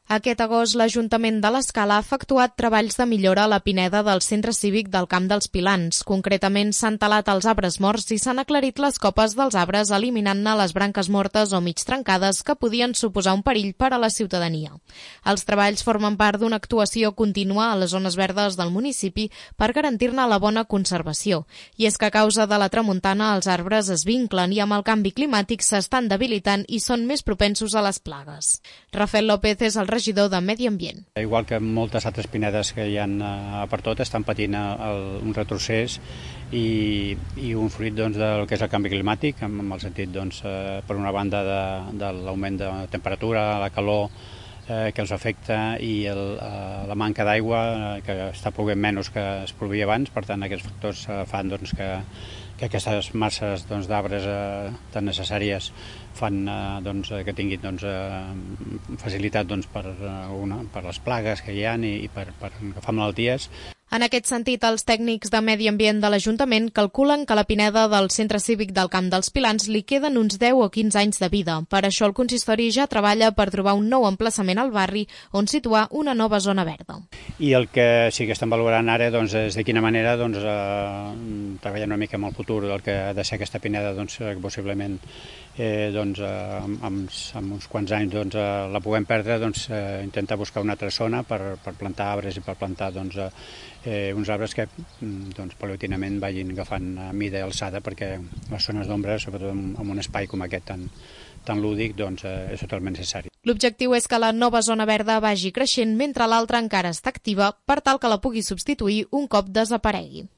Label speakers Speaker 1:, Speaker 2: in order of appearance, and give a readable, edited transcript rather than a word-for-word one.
Speaker 1: Aquest agost, l'Ajuntament de l'Escala ha efectuat treballs de millora a la pineda del Centre Cívic del Camp dels Pilans. Concretament, s'han talat els arbres morts i s'han aclarit les copes dels arbres, eliminant-ne les branques mortes o mig trencades que podien suposar un perill per a la ciutadania. Els treballs formen part d'una actuació contínua a les zones verdes del municipi per garantir-ne la bona conservació. I és que a causa de la tramuntana els arbres es vinclen i amb el canvi climàtic s'estan debilitant i són més propensos a les plagues. Rafael López és el regidor de Medi Ambient.
Speaker 2: Igual que moltes altres pinedes que hi ha per tot, estan patint un retrocés i un fruit del que és el canvi climàtic, en el sentit, per una banda, de l'augment de temperatura, la calor que els afecta i la manca d'aigua, que està plovent menys que es plovia abans. Per tant, aquests factors fan que aquestes masses d'arbres tan necessàries fan que tinguin facilitat per les plagues que hi ha i per agafar malalties.
Speaker 1: En aquest sentit, els tècnics de Medi Ambient de l'Ajuntament calculen que a la pineda del Centre Cívic del Camp dels Pilans li queden uns 10 o 15 anys de vida. Per això el consistori ja treballa per trobar un nou emplaçament al barri on situar una nova zona verda.
Speaker 2: I el que sí que estem valorant ara és de quina manera treballar una mica amb el futur del que ha de ser aquesta pineda, que possiblement amb uns quants anys la puguem perdre, intentar buscar una altra zona per plantar arbres i per plantar uns arbres que paulatinament vagin agafant mida i alçada, perquè les zones d'ombra, sobretot en un espai com aquest tan lúdic, és totalment necessari.
Speaker 1: L'objectiu és que la nova zona verda vagi creixent mentre l'altra encara està activa per tal que la pugui substituir un cop desaparegui.